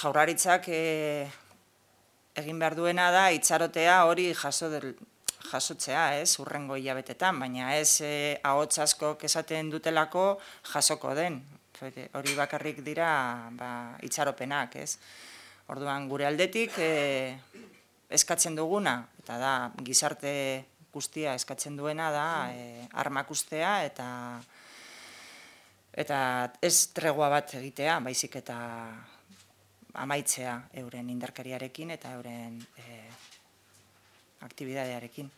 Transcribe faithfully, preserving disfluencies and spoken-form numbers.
jaurlaritzak egin behar duena da itxarotea hori jasotzea, ez, hurrengo hilabetetan, baina ez ahots askok esaten dutelako jasoko den. Hori bakarrik dira itxaropenak, ez. Orduan, gure aldetik eskatzen duguna, eta da, gizarte guztia eskatzen duena da armak ustea eta eta ez tregua bat egitea, baizik eta amaitzea euren indarkeriarekin eta euren aktibidadearekin.